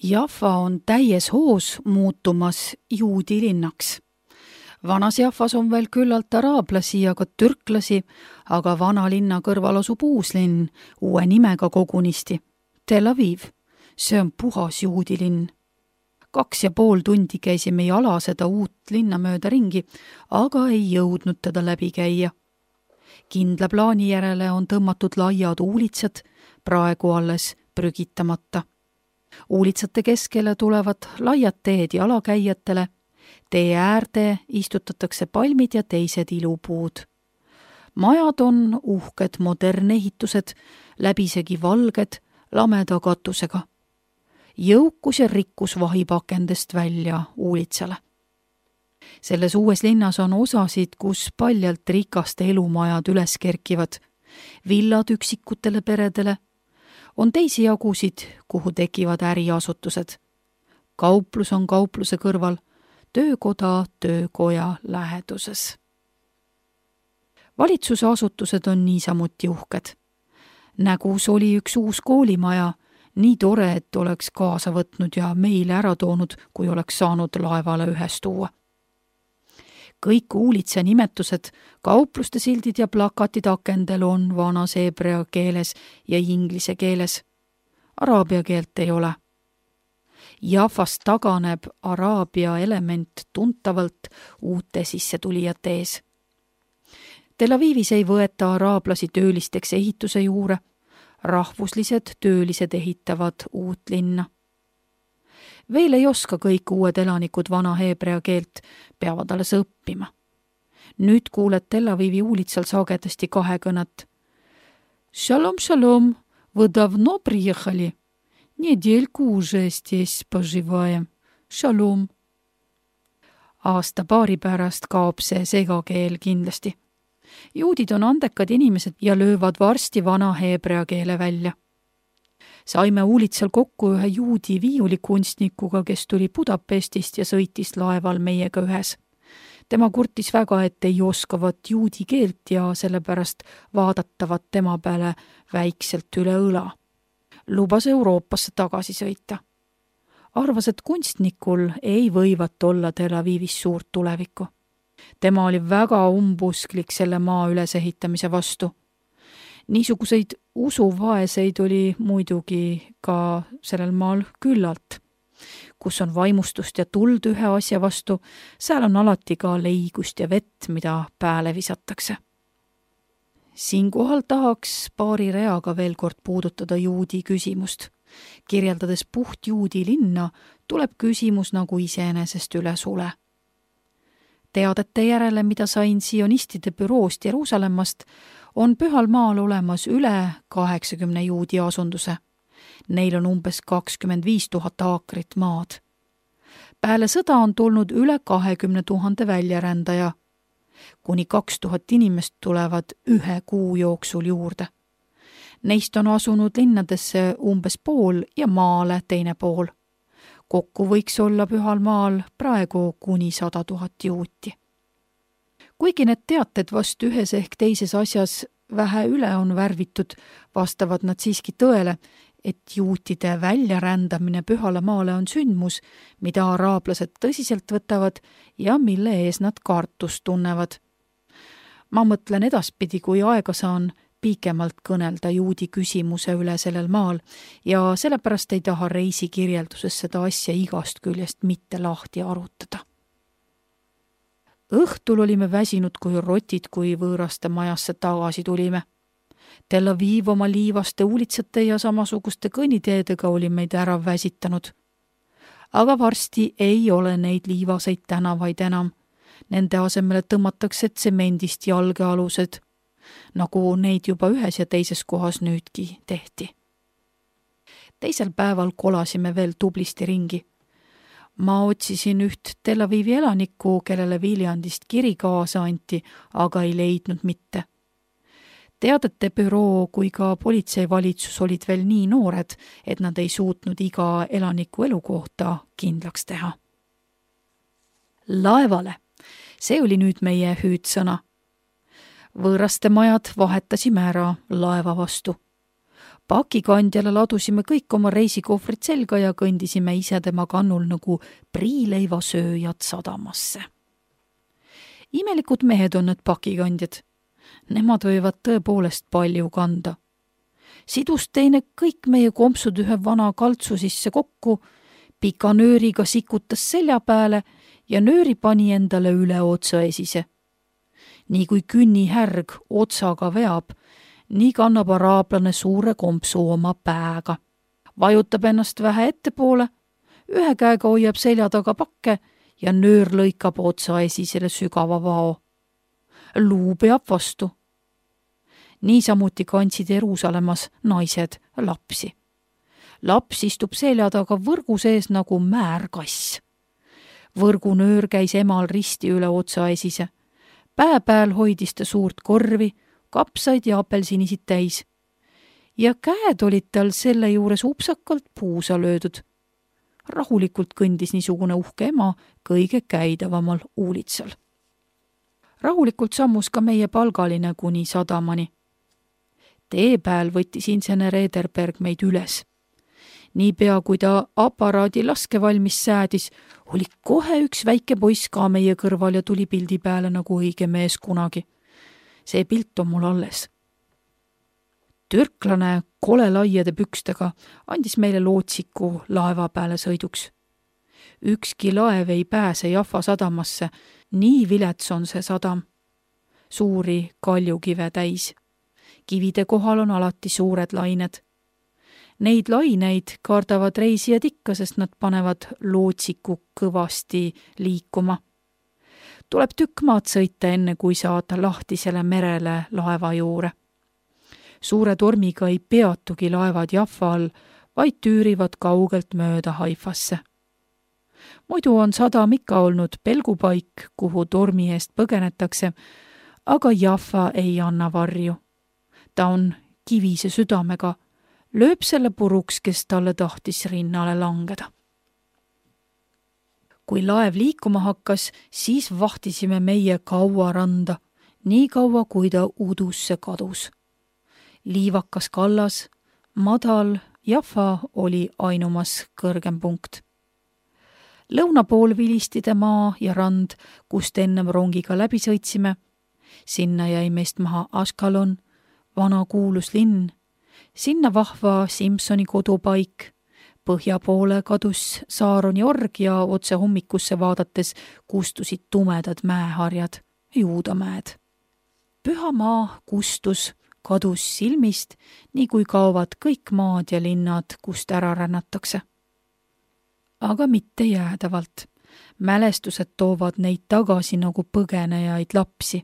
Jaffa on täies hoos muutumas juudi linnaks. Vanas Jaffas on veel küllalt araablasi ja ka türklasi, aga vana linna kõrval asub uus linn, uue nimega kogunisti. Tel Aviv. See on puhas juudi linn. 2,5 tundi käisime jala seda uut linna mööda ringi, aga ei jõudnud teda läbi käia. Kindla plaani järele on tõmmatud laiad uulitsad, praegu alles prügitamata. Uulitsate keskele tulevad laiad teed jalakäijatele, tee äärde istutatakse palmid ja teised ilupuud. Majad on uhked modernne ehitused, läbisegi valged, lameda katusega. Jõukus ja rikkus vahib akendest välja uulitsale. Selles uues linnas on osasid, kus paljalt rikaste elumajad üles kerkivad, villad üksikutele peredele, on teisi jagusid, kuhu tekivad äriasutused. Kauplus on kaupluse kõrval, töökoda töökoja läheduses. Valitsuse asutused on niisamuti uhked. Nägus oli üks uus koolimaja, nii tore, et oleks kaasa võtnud ja meile ära toonud, kui oleks saanud laevale ühes tuua. Kõik uulitsa nimetused, kaupluste sildid ja plakatid akendel on vanas hebrea keeles ja inglise keeles. Araabia keelt ei ole. Jaffast taganeb araabia element tuntavalt uute sissetulijate ees. Tel Avivis ei võeta araablasi töölisteks ehituse juurde, rahvuslised töölised ehitavad uut linna. Veel ei oska kõik uued elanikud vana hebrea keelt, peavad alles õppima. Nüüd kuuled Tel Avivi uulitsal sagedasti kahekõnet. Shalom, shalom, вы давно приехали? Недельку уже здесь поживаем. Shalom. Aasta-paari pärast kaob see segakeel kindlasti. Juudid on andekad inimesed ja löövad varsti vana hebrea keele välja. Saime uulitsal kokku ühe juudi viiulikunstnikuga, kes tuli Budapestist ja sõitis laeval meiega ühes. Tema kurtis väga, et ei oskavat juudi keelt ja sellepärast vaadatavat tema peale väikselt üle õla. Lubas Euroopasse tagasi sõita. Arvas, et kunstnikul ei võivat olla Tel Avivis suurt tulevikku. Tema oli väga umbusklik selle maa ülesehitamise vastu. Niisuguseid usuvaeseid oli muidugi ka sellel maal küllalt. Kus on vaimustust ja tuld ühe asja vastu, seal on alati ka leigust ja vett, mida pääle visatakse. Siinkohal tahaks paari reaga veel kord puudutada juudi küsimust. Kirjeldades puht juudi linna, tuleb küsimus nagu iseenesest üle sule. Teadete järele, mida sain sionistide büroost Jeruusalemmast, on Pühal maal olemas üle 80 juudi asunduse. Neil on umbes 25 000 aakrit maad. Peale sõda on tulnud üle 20 000 väljarändaja. Kuni 2000 inimest tulevad ühe kuu jooksul juurde. Neist on asunud linnadesse umbes pool ja maale teine pool. Kokku võiks olla Pühal maal praegu kuni 100 000 juuti. Kuigi need teated vast ühes ehk teises asjas vähe üle on värvitud, vastavad nad siiski tõele, et juutide väljarändamine Pühale maale on sündmus, mida araablased tõsiselt võtavad ja mille ees nad kartust tunnevad. Ma mõtlen edaspidi, kui aega saan pikemalt kõnelda juudi küsimuse üle sellel maal ja sellepärast ei taha reisikirjelduses seda asja igast küljest mitte lahti arutada. Õhtul olime väsinud kui rotid, kui võõraste majasse tagasi tulime. Tel Aviv oma liivaste uulitsate ja samasuguste kõnniteedega oli meid ära väsitanud. Aga varsti ei ole neid liivaseid tänavaid enam. Nende asemele tõmmatakse tsemendist jalgealused, nagu neid juba ühes ja teises kohas nüüdki tehti. Teisel päeval kolasime veel tublisti ringi. Ma otsisin üht Tel Avivi elanikku, kellele Viljandist kiri kaasa anti, aga ei leidnud mitte. Teadete büroo kui ka politseivalitsus olid veel nii noored, et nad ei suutnud iga elaniku elukohta kindlaks teha. Laevale. See oli nüüd meie hüüdsõna. Võõraste majad vahetasime ära laeva vastu. Pakikandjale ladusime kõik oma reisikohvrid selga ja kõndisime ise tema kannul nagu priileivasööjad sadamasse. Imelikud mehed on need pakikandjad. Nemad võivad tõepoolest palju kanda. Sidus teine kõik meie kompsud ühe vana kaltsu sisse kokku, pika nööriga sikutas selja peale ja nööri pani endale üle otsa esise. Nii kui künnihärg otsaga veab, nii kannab araablane suure kompsu oma pääga. Vajutab ennast vähe ettepoole, ühe käega hoiab selja taga pakke ja nöör lõikab otsa esisele sügava vao. Luu peab vastu. Niisamuti kandsid Jeruusalemmas naised lapsi. Laps istub selja taga võrgu sees nagu määrkass. Võrgunöör käis emal risti üle otsa esise. Pää pääl hoidis ta suurt korvi, kapsaid ja apelsinisid täis. Ja käed olid tal selle juures upsakalt puusa löödud. Rahulikult kõndis niisugune uhke ema kõige käidavamal uulitsal. Rahulikult sammus ka meie palgaline kuni sadamani. Tee pääl võttis insener Ederberg meid üles. Niipea kui ta aparaadi laskevalmis säädis, oli kohe üks väike poiss ka meie kõrval ja tuli pildi peale nagu õige mees kunagi. See pilt on mul alles. Türklane kole laiade pükstega andis meile lootsiku laeva peale sõiduks. Ükski laev ei pääse Jaffa sadamasse, nii vilets on see sadam. Suuri kaljukive täis. Kivide kohal on alati suured lained. Neid laineid kardavad reisijad ikka, sest nad panevad lootsiku kõvasti liikuma. Tuleb tükk maad sõita enne, kui saada lahtisele merele laeva juure. Suure tormiga ei peatugi laevad Jaffa all, vaid tüürivad kaugelt mööda Haifasse. Muidu on sadam ikka olnud pelgupaik, kuhu tormi eest põgenetakse, aga Jaffa ei anna varju. Ta on kivise südamega, lööb selle puruks, kes talle tahtis rinnale langeda. Kui laev liikuma hakkas, siis vahtisime meie kaua randa, nii kaua kui ta udusse kadus. Liivakas kallas, madal, Jaffa oli ainumas kõrgem punkt. Lõuna pool vilistide maa ja rand, kust ennem rongiga läbi sõitsime. Sinna jäi meist maha Ashkelon, vana kuulus linn. Sinna vahva Simsoni kodupaik. Põhja poole kadus Saaroni org ja otse hommikusse vaadates kustusid tumedad mäeharjad, Juudamäed. Püha maa kustus, kadus silmist, nii kui kaovad kõik maad ja linnad, kust ära rännatakse. Aga mitte jäädavalt. Mälestused toovad neid tagasi nagu põgenejaid lapsi.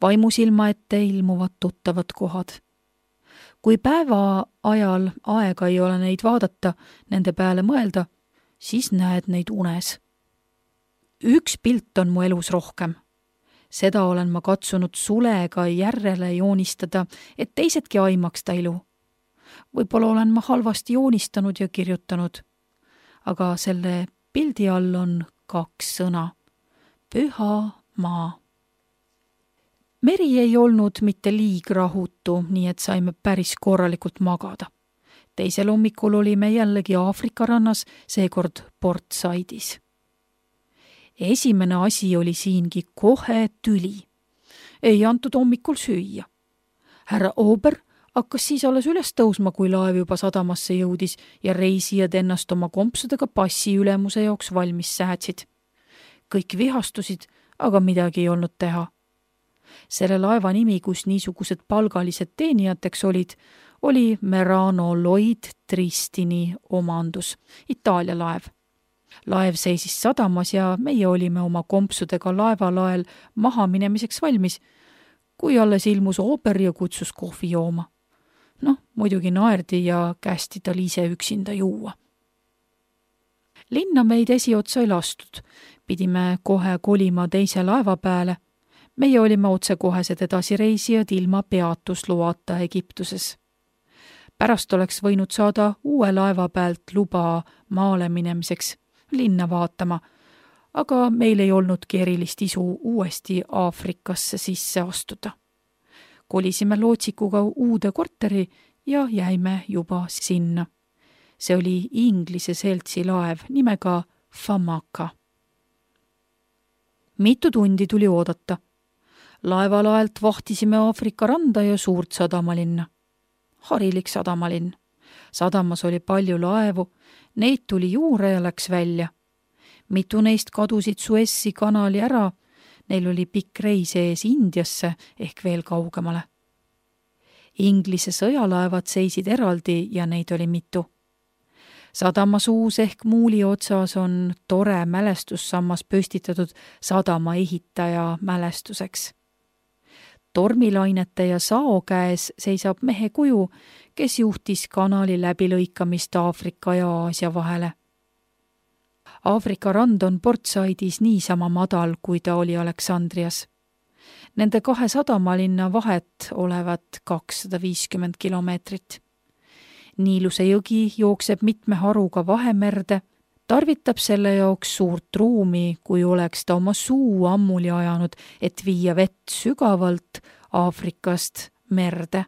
Vaimusilma ette ilmuvad tuttavad kohad. Kui päeva ajal aega ei ole neid vaadata, nende peale mõelda, siis näed neid unes. Üks pilt on mu elus rohkem. Seda olen ma katsunud sulega järele joonistada, et teisedki aimaks ta ilu. Võib-olla olen ma halvasti joonistanud ja kirjutanud, aga selle pildi all on 2 sõna. Püha maa. Meri ei olnud mitte liig rahutu, nii et saime päris korralikult magada. Teisel hommikul olime jällegi Aafrika rannas, seekord Port Saidis. Esimene asi oli siingi kohe tüli. Ei antud hommikul süüa. Härra Ober hakkas siis alles üles tõusma, kui laev juba sadamasse jõudis ja reisijad ennast oma kompsudega passi ülemuse jaoks valmis säätsid. Kõik vihastusid, aga midagi ei olnud teha. Selle laeva nimi, kus niisugused palgalised teenijateks olid, oli Merano Lloyd Tristini omandus, Itaalia laev. Laev seisis sadamas ja meie olime oma kompsudega laevalael maha minemiseks valmis, kui alles ilmus Ober ja kutsus kohvi jooma. Muidugi naerdi ja kästi tal ise üksinda juua. Linna meid esiotsa ei lastud, pidime kohe kolima teise laeva peale. Meie olime otsekohesed edasireisijad ilma peatusloata Egiptuses. Pärast oleks võinud saada uue laeva pealt luba maale minemiseks, linna vaatama, aga meil ei olnudki erilist isu uuesti Aafrikasse sisse astuda. Kolisime lootsikuga uude korteri ja jäime juba sinna. See oli Inglise seltsi laev nimega Famaka. Mitu tundi tuli oodata. Laevalaelt vahtisime Aafrika randa ja suurt sadamalinna. Harilik sadamalinn. Sadamas oli palju laevu, neid tuli juurde ja läks välja. Mitu neist kadusid Suessi kanali ära, neil oli pikk reis ees Indiasse ehk veel kaugemale. Inglise sõjalaevad seisid eraldi ja neid oli mitu. Sadama suus ehk muuli otsas on tore mälestussammas püstitatud sadama ehitaja mälestuseks. Tormilainete ja sao käes seisab mehe kuju, kes juhtis kanali läbilõikamist Aafrika ja Aasia vahele. Aafrika rand on Port Saidis niisama madal, kui ta oli Aleksandrias. Nende 2 sadamalinna vahet olevat 250 kilomeetrit. Niiluse jõgi jookseb mitme haruga Vahemerde, tarvitab selle jaoks suurt ruumi, kui oleks ta oma suu ammuli ajanud, et viia vett sügavalt Aafrikast merde.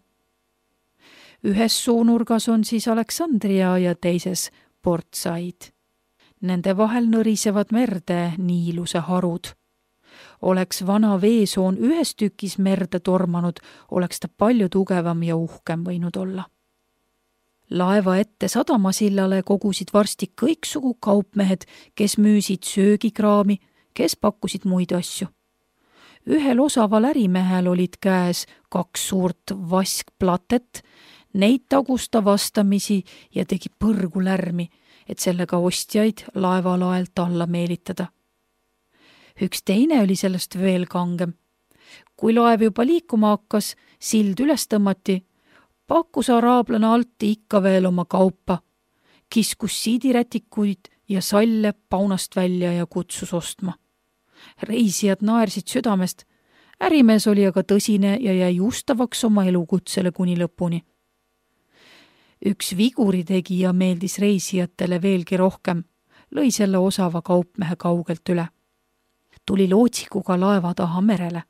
Ühes suunurgas on siis Aleksandria ja teises Port Said. Nende vahel nõrisevad merde Niiluse harud. Oleks vana veesoon ühes tükis merde tormanud, oleks ta palju tugevam ja uhkem võinud olla. Laeva ette sadamasillale kogusid varsti kõiksugu kaupmehed, kes müüsid söögikraami, kes pakkusid muid asju. Ühel osaval ärimehel olid käes 2 suurt vaskplatet, neid tagus ta vastamisi ja tegi põrgu lärmi, et sellega ostjaid laevalaelt alla meelitada. Üks teine oli sellest veel kangem. Kui laev juba liikuma hakkas, sild üles tõmmati, pakkus araablane alt ikka veel oma kaupa, kiskus siidirätikuid ja salle paunast välja ja kutsus ostma. Reisijad naersid südamest, ärimees oli aga tõsine ja jäi ustavaks oma elukutsele kuni lõpuni. Üks viguritegija meeldis reisijatele veelgi rohkem, lõi selle osava kaupmehe kaugelt üle. Tuli lootsikuga laeva taha merele,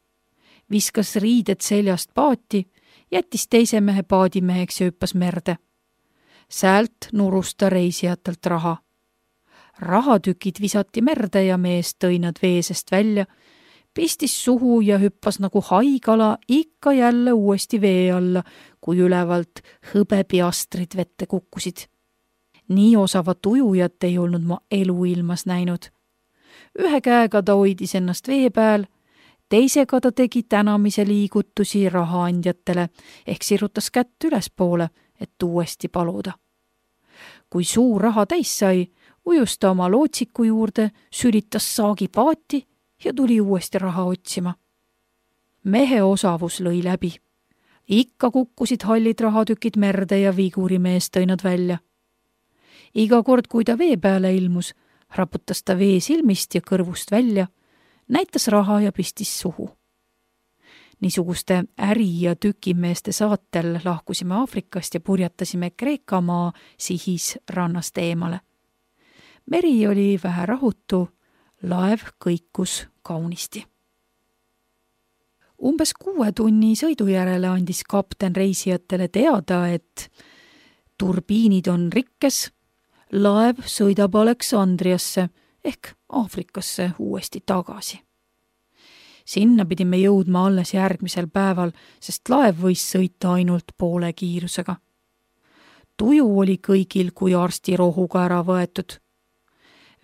viskas riided seljast paati, jättis teise mehe paadimeheks ja hüppas merde. Säält nurus ta reisijatelt raha. Rahatükid visati merde ja mees tõi nad veesest välja, pistis suhu ja hüppas nagu haigala ikka jälle uuesti vee alla, kui ülevalt hõbepiastrid vette kukkusid. Nii osavat ujujat ei olnud ma eluilmas näinud. Ühe käega ta hoidis ennast vee peal, teisega ta tegi tänamise liigutusi rahaandjatele ehk sirutas kätt ülespoole, et uuesti paluda. Kui suur raha täis sai, ujus ta oma lootsiku juurde, sülitas saagi paati ja tuli uuesti raha otsima. Mehe osavus lõi läbi. Ikka kukkusid hallid rahatükid merde ja vigurimees tõi nad välja. Iga kord, kui ta vee peale ilmus, raputas ta vee silmist ja kõrvust välja, näitas raha ja pistis suhu. Niisuguste äri- ja tükimeeste saatel lahkusime Aafrikast ja purjatasime Kreekamaa sihis rannast eemale. Meri oli vähe rahutu, laev kõikus kaunisti. Umbes 6 tunni sõidu järele andis kapten reisijatele teada, et turbiinid on rikkes, laev sõidab Aleksandriasse ehk Aafrikasse uuesti tagasi. Sinna pidime jõudma alles järgmisel päeval, sest laev võis sõita ainult poole kiirusega. Tuju oli kõigil kui arstirohuga ära võetud.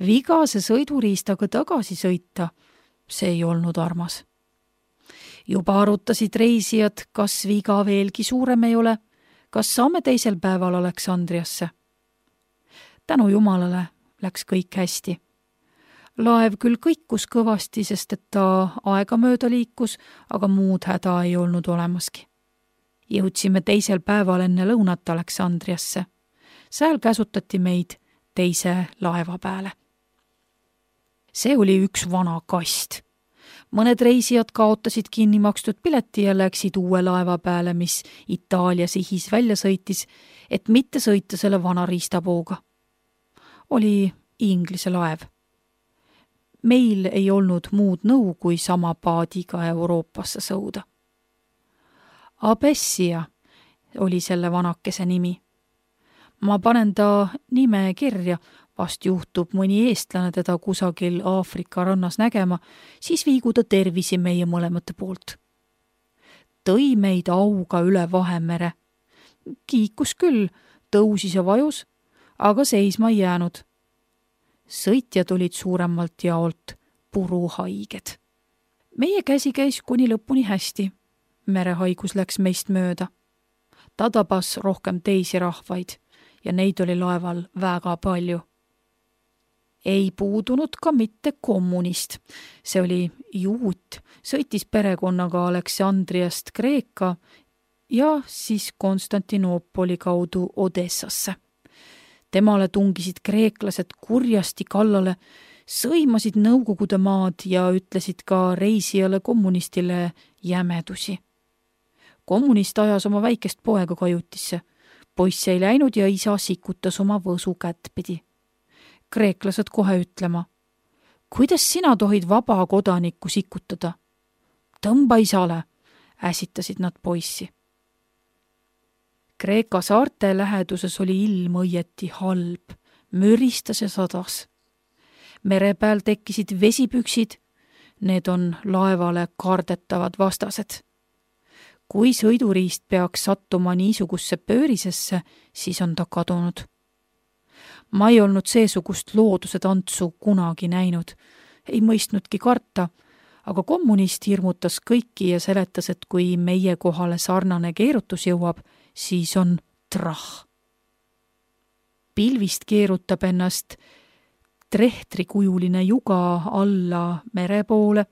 Vigase sõiduriistaga tagasi sõita, see ei olnud armas. Juba arutasid reisijad, kas viga veelgi suurem ei ole, kas saame teisel päeval Aleksandriasse. Tänu Jumalale läks kõik hästi. Laev küll kõikus kõvasti, sest et ta aega mööda liikus, aga muud häda ei olnud olemaski. Jõudsime teisel päeval enne lõunat Aleksandriasse. Sääl käsutati meid teise laeva peale. See oli üks vana kast. Mõned reisijad kaotasid kinni makstud pileti ja läksid uue laeva peale, mis Itaalia sihis välja sõitis, et mitte sõita selle vana riistapooga. Oli Inglise laev. Meil ei olnud muud nõu kui sama paadiga Euroopasse sõuda. Abessia, oli selle vanakese nimi. Ma panen ta nime kirja, vast juhtub mõni eestlane teda kusagil Aafrika rannas nägema, siis viigu ta tervisi meie mõlemate poolt. Tõi meid auga üle Vahemere. Kiikus küll, tõusis ja vajus, aga seisma ei jäänud. Sõitjad olid suuremalt jaolt puruhaiged. Meie käsi käis kuni lõpuni hästi. Merehaigus läks meist mööda. Ta tabas rohkem teisi rahvaid ja neid oli laeval väga palju. Ei puudunud ka mitte kommunist. See oli juut, sõitis perekonnaga Aleksandriast Kreeka ja siis Konstantinoopoli kaudu Odessasse. Temale tungisid kreeklased kurjasti kallale, sõimasid Nõukogude maad ja ütlesid ka reisijale kommunistile jämedusi. Kommunist ajas oma väikest poega kajutisse. Poiss ei läinud ja isa sikutas oma võsu kättpidi. Kreeklased kohe ütlema, kuidas sina tohid vaba kodanikku sikutada? Tõmba isale, äsitasid nad poissi. Kreeka saarte läheduses oli ilm õieti halb, müristas ja sadas. Mere peal tekkisid vesipüksid, need on laevale kardetavad vastased. Kui sõiduriist peaks sattuma niisugusse pöörisesse, siis on ta kadunud. Ma ei olnud seesugust looduse tantsu kunagi näinud, ei mõistnudki karta, aga kommunist hirmutas kõiki ja seletas, et kui meie kohale sarnane keerutus jõuab, siis on trah. Pilvist keerutab ennast trehtrikujuline juga alla mere poole,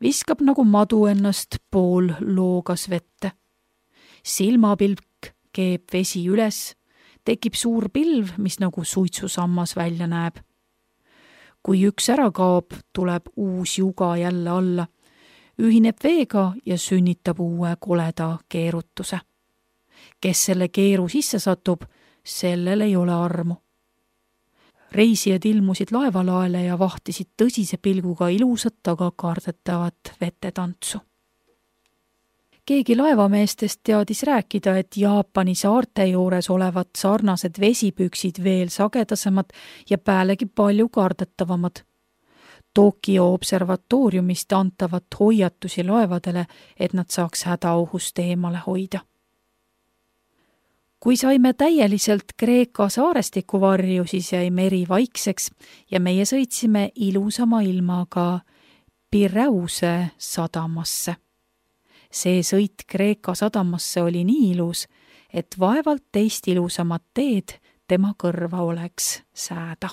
viskab nagu madu ennast pool loogas vette. Silmapilk keeb vesi üles, tekib suur pilv, mis nagu suitsusammas välja näeb. Kui üks ära kaob, tuleb uus juga jälle alla, ühineb veega ja sünnitab uue koleda keerutuse. Kes selle keeru sisse satub, sellel ei ole armu. Reisijad ilmusid laevalaele ja vahtisid tõsise pilguga ilusat, aga kardetavat vetetantsu. Keegi laevameestest teadis rääkida, et Jaapani saarte juures olevat sarnased vesipüksid veel sagedasemad ja päälegi palju kardetavamad. Tokyo observatooriumist antavat hoiatusi laevadele, et nad saaks hädaohust eemale hoida. Kui saime täieliselt Kreeka saarestiku varju, siis jäi meri vaikseks ja meie sõitsime ilusama ilmaga Pireuse sadamasse. See sõit Kreeka sadamasse oli nii ilus, et vaevalt teist ilusamat teed tema kõrva oleks sääda.